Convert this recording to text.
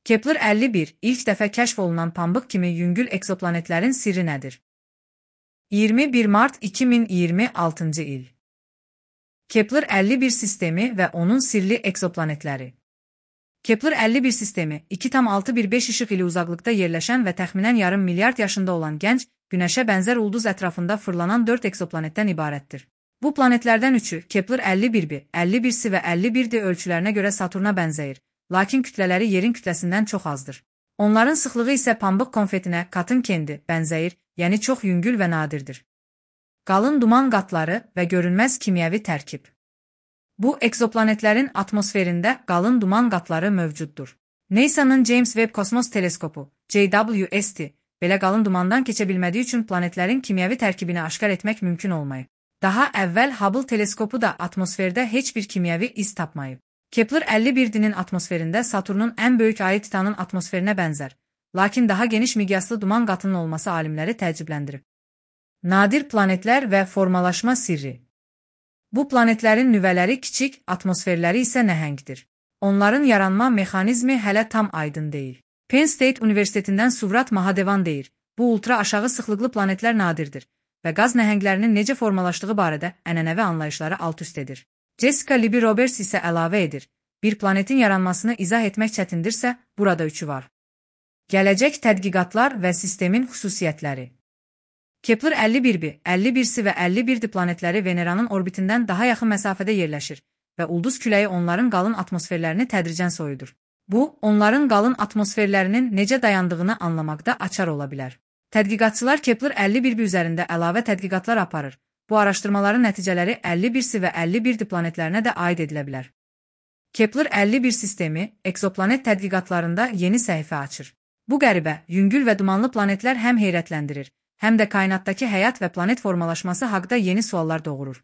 Kepler 51 ilk dəfə kəşf olunan pambıq kimi yüngül ekzoplanetlərin sirri nədir? 21 Mart 2026 il. Kepler 51 sistemi və onun sirli ekzoplanetləri. Kepler 51 sistemi 2,615 işıq ili uzaqlıqda yerləşən və təxminən yarım milyard yaşında olan gənc, Günəşə bənzər ulduz ətrafında fırlanan 4 ekzoplanetdən ibarətdir. Bu planetlərdən üçü Kepler 51b, 51c və 51d ölçülərinə görə Saturna bənzəyir, lakin kütlələri yerin kütləsindən çox azdır. Onların sıxlığı isə pambıq konfetinə, katın kendi bənzəyir, yəni çox yüngül və nadirdir. Qalın duman qatları və görünməz kimyəvi tərkib. Bu ekzoplanetlərin atmosferində qalın duman qatları mövcuddur. NASA'nın James Webb Kosmos Teleskopu, JWST, belə qalın dumandan keçə bilmədiyi üçün planetlərin kimyəvi tərkibini aşkar etmək mümkün olmayıb. Daha əvvəl Hubble teleskopu da atmosferdə heç bir kimyəvi iz tapmayıb. Kepler 51'nin atmosferində Saturnun ən böyük ayı Titanın atmosferinə bənzər, lakin daha geniş miqyaslı duman qatının olması alimləri təəccübləndirib. Nadir planetlər və formalaşma sirri. Bu planetlərin nüvələri kiçik, atmosferləri isə nəhəngdir. Onların yaranma mexanizmi hələ tam aydın deyil. Penn State Universitetindən Suvrat Mahadevan deyir, bu ultra aşağı sıxlıqlı planetlər nadirdir və qaz nəhənglərinin necə formalaşdığı barədə ənənəvi anlayışları alt-üst edir. Jessica Libby Roberts isə əlavə edir, bir planetin yaranmasını izah etmək çətindirsə, burada üçü var. Gələcək tədqiqatlar və sistemin xüsusiyyətləri. Kepler 51b, 51c və 51d planetləri Veneranın orbitindən daha yaxın məsafədə yerləşir və ulduz küləyi onların qalın atmosferlərini tədricən soyudur. Bu, onların qalın atmosferlərinin necə dayandığını anlamaqda açar ola bilər. Tədqiqatçılar Kepler 51b üzərində əlavə tədqiqatlar aparır. Bu araşdırmaların nəticələri 51c və 51d planetlərinə də aid edilə bilər. Kepler 51 sistemi, ekzoplanet tədqiqatlarında yeni səhifə açır. Bu qəribə, yüngül və dumanlı planetlər həm heyrətləndirir, həm də kainatdakı həyat və planet formalaşması haqqında yeni suallar doğurur.